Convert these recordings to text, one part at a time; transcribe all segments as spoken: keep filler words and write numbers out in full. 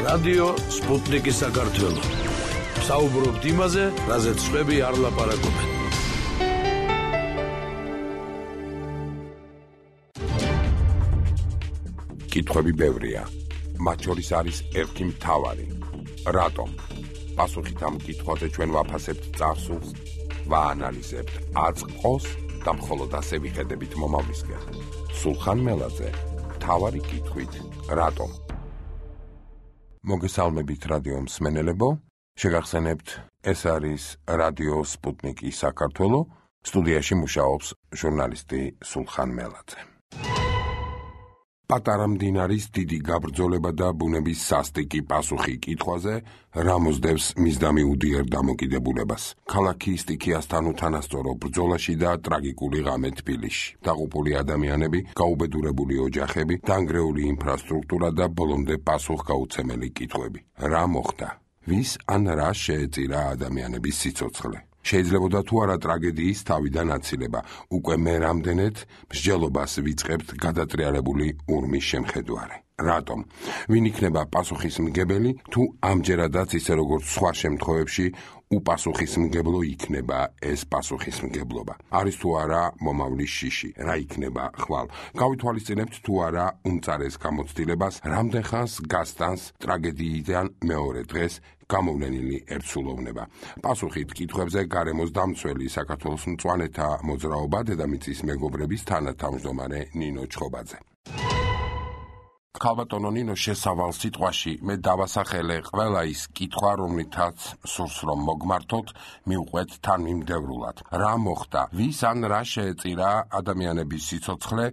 რადიო სპუტნიკი საქართველო. საუბრობთ იმაზე, რაზეც სხვები არ ლაპარაკობენ. კითხვები ბევრია. მათ შორის არის ერთი მთავარი. რატომ? პასუხით ამ კითხვაზე ჩვენ ვაფასებთ წარსულს, ვაანალიზებთ აწყოს და მხოლოდ ასე ვიხედებით მომავლისკენ. სულხან მელაძე, მთავარი კითხვით, რატომ? მოგესალმებით რადიო მსმენელებო, შეგახსენებთ, ეს არის რადიო სპუტნიკი საქართველო, სტუდიაში მუშაობს ჟურნალისტი სულხან მელაძე. პატარა მდინარის დიდი გაბრძოლება და ბუნების სასტიკი პასუხი კითხვაზე, რა მოსდევს მისდამი უდიერ დამოკიდებულებას. ქალაქი სტიქიასთან უთანასწორო ბრძოლაში და ტრაგიკული ღამე თბილისში. დაღუპული ადამიანები, გაუბედურებული ოჯახები, დანგრეული ინფრასტრუქტურა და ბოლომდე პასუხგაუცემელი კითხვები. რა მოხდა? ვის ან რა შეეწირა ადამიანების სიცოცხლე? შეიძლებოდა თუ არა ტრაგედიის თავიდან აცილება, უკვე მე რამდენად მსჯელობას ვიწყებთ გადატრიალებული ურმის შემხედვარე. რატომ? ვინ იქნება პასუხისმგებელი, თუ ამჯერადაც ისე როგორც სხვა შემთხვევებში უპასუხისმგებლო იქნება ეს პასუხისმგებლობა? არის თუ არა მომავლის შიში? რა იქნება ხვალ? გავითვალისწინებთ თუ არა უმწარეს გამოცდილებას, რამდენ ხანს გასტანს ტრაგედიიდან მეორე დღეს გამოვლენილი ერთსულოვნება. პასუხით კითხვებზე გარემოს დამცველი საქართველოს მწვანეთა მოძრაობა დედამიწის მეგობრების თანათავმჯდომარე ნინო ჩხობაძე. ქალბატონო ნინო, შესავალ სიტყვაში მე დავასახელე ყველა ის კითხვა, რომლითაც სურს რომ მოგმართოთ, მივყვეთ თანმიმდევრულად. რა მოხდა? ვის ან რა შეეწირა ადამიანების სიცოცხლე,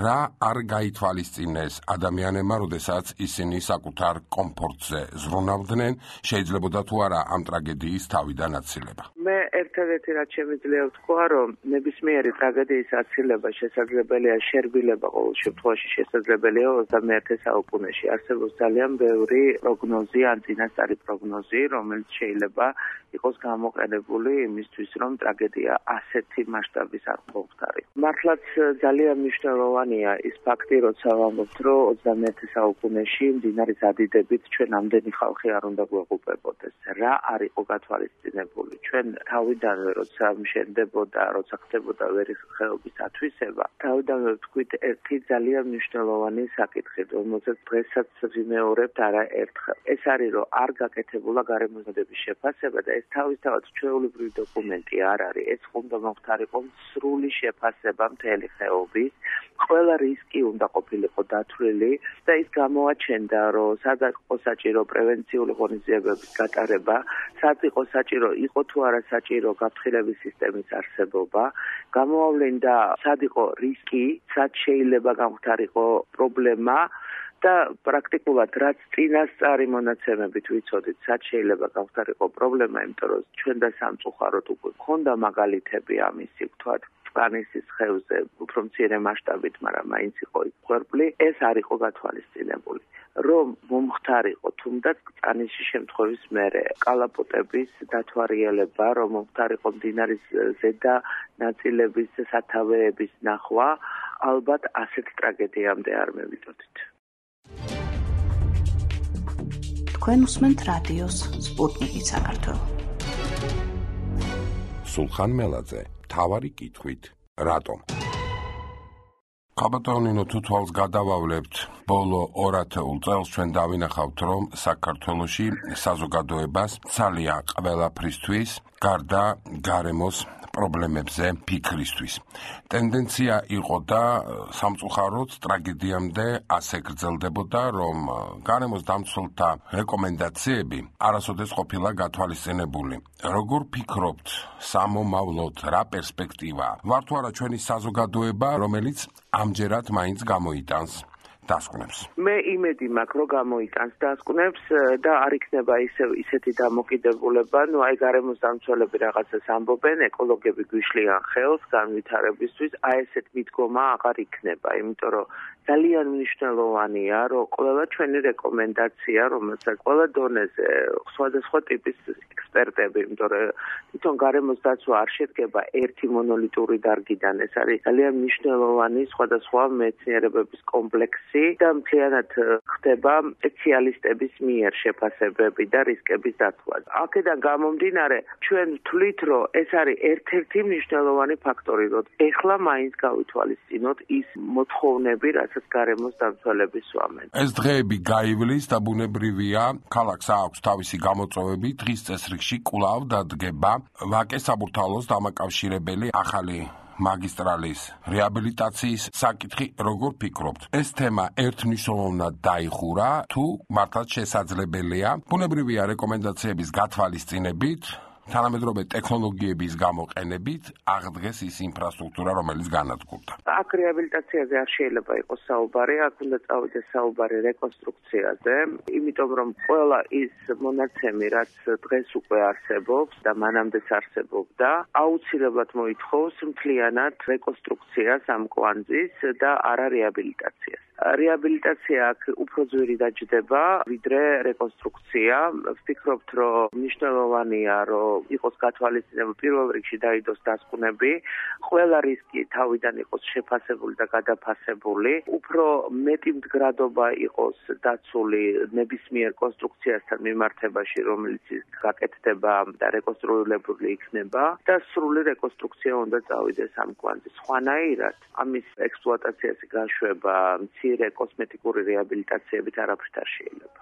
რა არ გაითვალისწინეს ადამიანებმა, როდესაც ისინი საკუთარ კომფორტზე ზრუნავდნენ, შეიძლებოდა თუ არა ამ ტრაგედიის თავიდან აცილება? მე ერთადერთი რაც შემიძლია ვთქვა, რომ ნებისმიერი ტრაგედიის აცილება შესაძლებელია, შერბილება ყოველ შემთხვევაში შესაძლებელია ოცდამეერთე საუკუნეში. არსებობს ძალიან ბევრი პროგნოზი, ან წინასწარი პროგნოზი, რომელიც შეიძლება იყოს გამოყენებული იმისთვის, რომ ტრაგედია ასეთი მასშტაბის არ მოხდარი. მართლაც ძალიან მნიშვნელოვანია ის ფაქტი, როცა ვამბობთ, რომ ოცდამეერთე საუკუნეში მდინარის ადიდებით ჩვენ ამდენი ხალხი არ უნდა გვეღუპებოდეს. რა არ იყო გათვალისწინებული? ჩვენ თავიდანვე როცა მშენდებოდა, როცა ხდებოდა ვერიხეობის ათვისება, თავიდანვე ვთქვით ერთი ძალიან მნიშვნელოვანი საკითხი, რომელსაც დღესაც ვიმეორებთ არაერთხელ. ეს არის, რომ არ გაკეთებულა გარემოსდების შეფასება და ეს თავისთავად ჩვეულებრივი დოკუმენტი არ არის. ეს უნდა მოხდარიყო სრული შეფასება მთელი ხეობის. ყველა რისკი უნდა ყოფილიყო დათვლილი და ის გამოაჩენდა, რომ სადაც იყო საჭირო პრევენციული ღონისძიებების გატარება, სად იყო საჭირო, იყო თუ არა საჭირო გაფრთხილების სისტემის არსებობა, გამოავლენდა სად იყო რისკი, სად შეიძლება გამხდარიყო პრობლემა და პრაქტიკულად რაც წინასწარი მონაცემებით ვიცოდით, სად შეიძლება გამხდარიყო პრობლემა, იმიტომ რომ ჩვენ და სამწუხაროდ უკვე ქონდა მაგალითები ამისი, ვთქვათ, კანისის ხევზე უფრო მცირე მასშტაბით, მაგრამ მაინც იყო იქ ხვერპლი, ეს არ იყო გათვალისწინებული. რომ მომხდარიყო თუნდაც კანისის შემთხვევის მერე კალაპოტების დათვალიერება, რომ მომხდარიყო მდინარის ზედა ნაწილების სათავეების ნახვა, ალბათ ასეთ ტრაგედიამდე არ მევიდოდით. თქვენ უსმენთ რადიოს სპუტნიკი საქართველო. სულხან მელაძე, მთავარი კითხვით, რატომ? ქალბატონო ნინო, თუ თვალს გადავავლებთ ბოლო ორ ათეულ წელს, ჩვენ დავინახავთ, რომ საქართველოში საზოგადოებას ცალია ყველაფრისთვის, გარდა გარემოს პრობლემებზე ფიქრისთვის. ტენდენცია იყო და სამწუხაროდ ტრაგედიამდე ასე გრძელდებოდა, რომ გარემოს დამცველთა რეკომენდაციები არასოდეს ყოფილა გათვალისწინებული. როგორ ფიქრობთ, სამომავლოდ რა პერსპექტივა? ვარ თუ არა ჩვენი საზოგადოება, რომელიც ამჯერად მაინც გამოიტანს დასკვნებს? მე იმედი მაქვს, რომ გამოიტანს დასკვნებს და არ იქნება ისე ისეთი დამოკიდებულება, ნუ აი გარემოს დამცველები რაღაცას ამბობენ, ეკოლოგები გვიშლიან ხელს განვითარებისთვის, აი ესეთ მიდგომა აღარ იქნება, იმიტომ რომ ძალიან მნიშვნელოვანია, რომ ყველა ჩვენი რეკომენდაცია, რომელსაც ყველა დონეზე სხვადასხვა ტიპის ექსპერტები, იმიტომ რომ თვითონ გარემოს დაცვა არ შედგება ერთი მონოლიტური დარგიდან, ეს არის ძალიან მნიშვნელოვანი სხვადასხვა მეცნიერებების კომპლექსი, პროცესი და მთლიანად ხდება სპეციალისტების მიერ შეფასებები და რისკების დათვლა. აქედან გამომდინარე, ჩვენ ვთვლით, რომ ეს არის ერთ-ერთი მნიშვნელოვანი ფაქტორი, რომ ეხლა მაინც გავითვალისწინოთ ის მოთხოვნები, რასაც გარემოს დამცველები სვამენ. ეს დღეები გაივლის და ბუნებრივია, ქალაქს აქვს თავისი გამოწვევები, დღის წესრიგში კვლავ დადგება ვაკე საბურთალოს დამაკავშირებელი ახალი მაგისტრალის რეაბილიტაციის საკითხი. როგორ ფიქრობთ, ეს თემა ერთმნიშვნელოვნად დაიხურა თუ მართლაც შესაძლებელია ბუნებრივია რეკომენდაციების გათვალისწინებით, თანამედროვე ტექნოლოგიების გამოყენებით აღდგეს ის ინფრასტრუქტურა, რომელიც განადგურდა? აქ რეაბილიტაციაზე არ შეიძლება იყოს საუბარი, აქ უნდა წავიდეს საუბარი რეკონსტრუქციაზე, იმიტომ რომ ყველა ის მონაცემი, რაც დღეს უკვე არსებობს და მანამდეც არსებობდა, აუცილებლად მოითხოვს მთლიანად რეკონსტრუქციას ამ კვანძის და არა რეაბილიტაციას. რეაბილიტაცია აქ უფრო ძვირი დაჯდება, ვიდრე რეკონსტრუქცია. ვფიქრობთ, რომ მნიშვნელოვანია, რომ იყოს გათვალისწინებული, პირველ რიგში დაიდოს დასკვნები, ყველა რისკი თავიდან იყოს შეფასებული და გადაფასებული, უფრო მეტი მდგრადობა იყოს დაცული ნებისმიერ კონსტრუქციასთან მიმართებაში, რომელიც გაკეთდება და რეკონსტრუირებული იქნება და სრული რეკონსტრუქცია უნდა წავიდეს ამ კვანძის. სხვანაირად, ამის ექსპლუატაციაზე გაშვება მცირე კოსმეტიკური რეაბილიტაციებით არაფრით არ შეიძლება.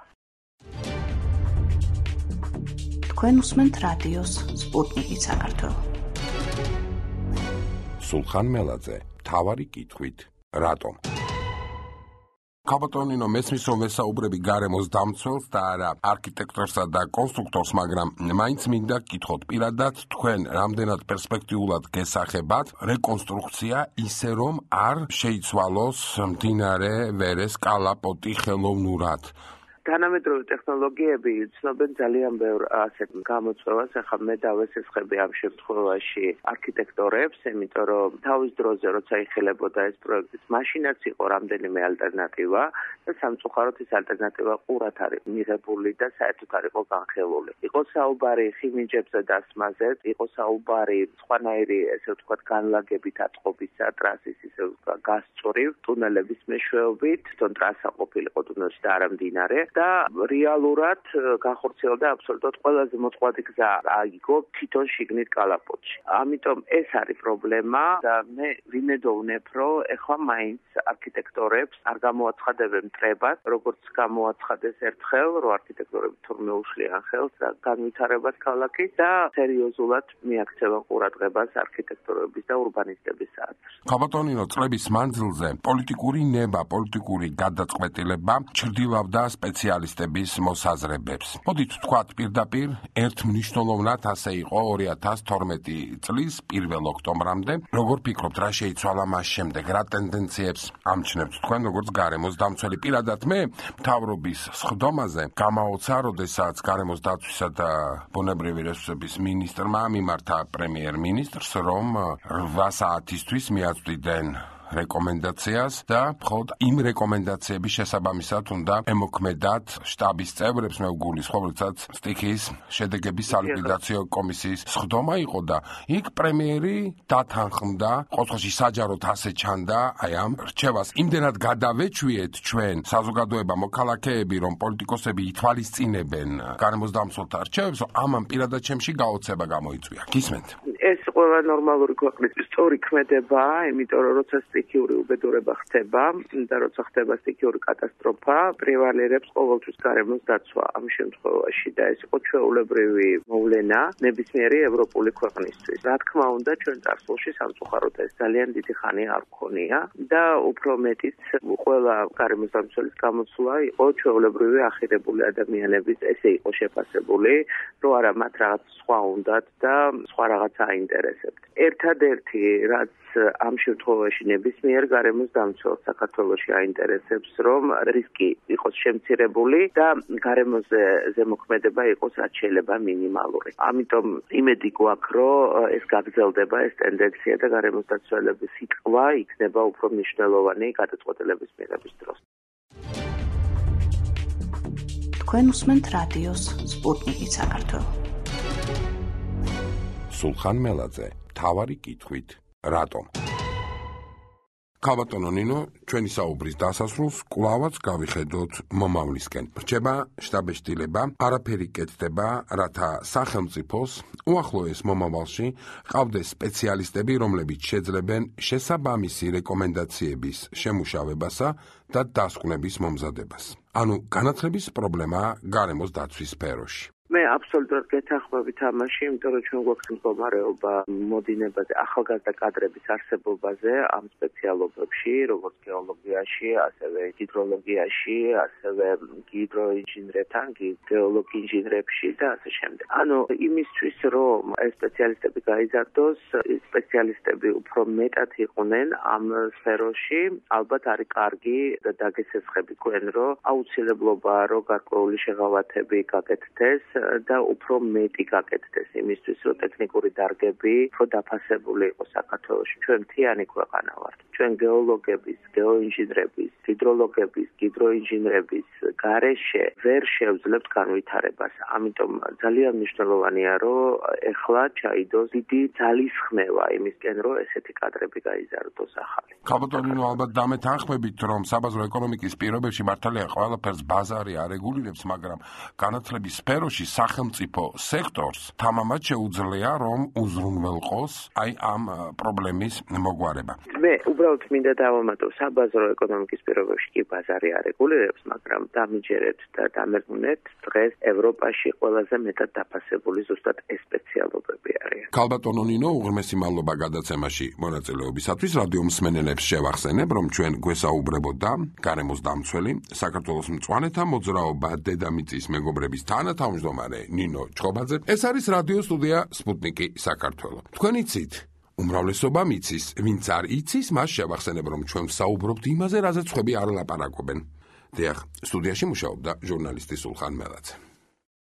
თქვენ უსმენთ რადიოს სპუტნიკი საქართველო. სულხან მელაძე, მთავარი კითხვით, რატომ? ქაბატონინო, მესმის რომ ვესაუბრები გარემოს დამცველს და არა არქიტექტორსა და კონსტრუქტორს, მაგრამ მაინც მინდა გკითხოთ პირადად თქვენ რამდენად პერსპექტიულად გესახებათ რეკონსტრუქცია ისე რომ არ შეიცვალოს მდინარე ვერეს კალაპოტი ხელოვნურად? თანამედროვე ტექნოლოგიები ცნობენ ძალიან ბევრ ასეთ გამოწვევას, ახლა მე დავესესხები ამ შემთხვევაში არქიტექტორებს, იმიტომ რომ თავის დროზე როცა იხილებოდა ეს პროექტი, მაშინაც იყო რამდენიმე ალტერნატივა და სამწუხაროდ ეს ალტერნატივა ყურად არის მიღებული და საერთოდ არ იყო განხილული. იყო საუბარი ხიმიჯებზე დასმაზე, იყო საუბარი სხვანაირი, ესე ვთქვათ, განლაგებით ატყობისა, ტრასის ისე გასწვრივ, ტუნელების მეშვეობით, თვითონ ტრასა ყოფილიყო ტუნელში და არა მდინარე. და რეალურად განხორციელდა აბსოლუტურად ყველაზე მოწყვლადი გზა აიგო თვითონ შიგნით კალაპოტში. ამიტომ ეს არის პრობლემა და მე ვიმედოვნებ, რომ ეხლა მაინც არქიტექტორებს არ გამოაცხადებენ მტრებას, როგორც გამოაცხადეს ერთხელ, რომ არქიტექტორები თურმე უშლიან ხელს და განვითარებას ქალაქის და სერიოზულად მიაქცევენ ყურადღებას არქიტექტორების და ურბანისტების საათს. ქაბატონინო, წლების მანძილზე პოლიტიკური ნება, პოლიტიკური გადაწყვეტილება ჩრდილავდა სპეციალისტების მოსაზრებებს. მოდით ვთქვათ პირდაპირ, ერთ მნიშვნელოვნად ასე იყო ორი ათას თორმეტი წლის პირველ ოქტომბრამდე. როგორ ფიქრობთ, რა შეიცვალა მას შემდეგ, რა ტენდენციებს ამჩნევთ თქვენ, როგორც გარემოს დამცველი? პირადად მე მთავრობის სხდომაზე გამაოცა, როდესაც გარემოს დაცვისა და ბუნებრივი რესურსების მინისტრმა მიმართა პრემიერ-მინისტრს, რომ რვა საათისთვის მიაწვდიდნენ რეკომენდაციას და მხოლოდ იმ რეკომენდაციების შესაბამისად უნდა ემოქმედათ შტაბის წევრებს, მე ვგულისხმობ, როდესაც სტიქიის შედეგების სალიკვიდაციო კომისიის სხდომა იყო და იქ პრემიერი დათანხმდა, ყოველში საჯაროდ ასე ჩანდა აი ამ რჩევას. იმდენად გადავეჩვიეთ ჩვენ საზოგადოება, მოქალაქეები, რომ პოლიტიკოსები ითვალისწინებენ გარემოს დამცველთა რჩევებს, ამან პირადად ჩემში გაოცება გამოიწვია. გისმენთ? ეს ყველა ნორმალური ქვეყნის სწორი ქმედებაა, იმიტომ რომ როცა სტიქიური უბედურება ხდება და როცა ხდება სტიქიური კატასტროფა, პრევალირებს ყოველთვის გარემოს დაცვა ამ შემთხვევაში და ეს იყო ჩვეულებრივი მოვლენა ნებისმიერი ევროპული ქვეყნისთვის. რა თქმა უნდა, ჩვენ წარსულში სამწუხაროდ ეს ძალიან დიდი ხანი არ გქონია და უფრო მეტიც ყველა გარემოს დამცველის გამოცვლა იყო ჩვეულებრივი ახირებული ადამიანების, ესე იყო შეფასებული, რომ არა მათ რაღაც სხვა უნდათ და სხვა რაღაცა აინტერესებთ. ერთადერთი რაც ამ შემთხვევაში ნებისმიერ გარემოს დამცველს საქართველოში აინტერესებს, რომ რისკი იყოს შემცირებული და გარემოზე ზემოქმედება იყოს რაც შეიძლება მინიმალური. ამიტომ იმედი გვაქვს, რომ ეს გაგრძელდება ეს ტენდენცია და გარემოს დაცველების სიტყვა იქნება უფრო მნიშვნელოვანი გადაწყვეტილების მიღების დროს. თქვენ უსმენთ რადიოს სპუტნიკი საქართველო. სულხან მელაძე, მთავარი კითხვით, რატომ? ქალბატონო ნინო, ჩვენი საუბრის დასასრულს კვლავაც გავიხედოთ მომავლისკენ. რჩება შტაბ-ეშტილება, არაფერი კეთდება, რათა სახელმწიფოს უახლოეს მომავალში ყავდეს სპეციალისტები, რომლებიც შეძლებენ შესაბამისი რეკომენდაციების შემუშავებასა და დასკვნების მომზადებას. ანუ განათლების პრობლემა გარემოს დაცვის სფეროში. მე აბსოლუტურად გეთანხმებით ამაში, იმიტომ რომ ჩვენ გვაქვს მდგომარეობა მოდინებაზე, ახალგაზრდა კადრების არსებობაზე ამ სპეციალობებში, როგორც გეოლოგიაში, ასევე ჰიდროლოგიაში, ასევე ჰიდროინჟინერებთან, გეოლოგი ინჟინერებში და ასე შემდეგ. ანუ იმისთვის, რომ ეს სპეციალისტები გაიზარდოს, სპეციალისტები უფრო მეტად იყვნენ ამ სფეროში, ალბათ არის კარგი და დაგესესხებით თქვენ, რომ აუცილებლობაა, რომ გარკვეული შეღავათები გაკეთდეს და უფრო მეტი გაკეთდეს იმისთვის, რომ ტექნიკური დარგები უფრო დაფასებული იყოს საქართველოში. ჩვენ მთიანი ქვეყანა ვართ. ჩვენ გეოლოგების, გეოინჟინერების, ჰიდროლოგების, ჰიდროინჟინერების გარეშე ვერ შევძლებთ განვითარებას. ამიტომ ძალიან მნიშვნელოვანია, რომ ეხლა ჩაიდოს დიდი ძალისხმევა იმისკენ, რომ ესეთი კადრები გაიზარდოს ახალი. ქალბატონო, ალბათ დამეთანხმებით, რომ საბაზრო ეკონომიკის პირობებში მართალია ყველაფერს ბაზარი არეგულირებს, მაგრამ განათლების სფეროში სახელმწიფო სექტორს თამამად შეუძლია, რომ უზრუნველყოს აი ამ პრობლემის მოგვარება. მე უბრალოდ მინდა დავამატო, საბაზრო ეკონომიკის პირობებში კი ბაზარი არეგულირებს, მაგრამ დამიჯერეთ და დამერყნეთ, დღეს ევროპაში ყველაზე მეტად დაფასებული ზუსტად ეს სპეციალობები არიან. ქალბატონო ნინო, უღრმესი მადლობა გადაცემაში მონაწილეობისათვის. რადიო მსმენელებს შევახსენებ, რომ ჩვენ გვესაუბრებოდა გარემოს დამცველი, საქართველოს მწვანეთა მოძრაობა დედამიწის მეგობრების თანათავმჯდომარე ნინო ჩხობაძე. ეს არის რადიო სტუდია სპუტნიკი საქართველო. თქვენ იცით, უმრავლესობა მიცის, ვინც არ იცის, მას შევახსენებ, რომ ჩვენ ვსაუბრობთ იმაზე, რაზეც სხვები არ ლაპარაკობენ. დიახ, სტუდიაში მუშაობდა ჟურნალისტი სულხან მელაძე.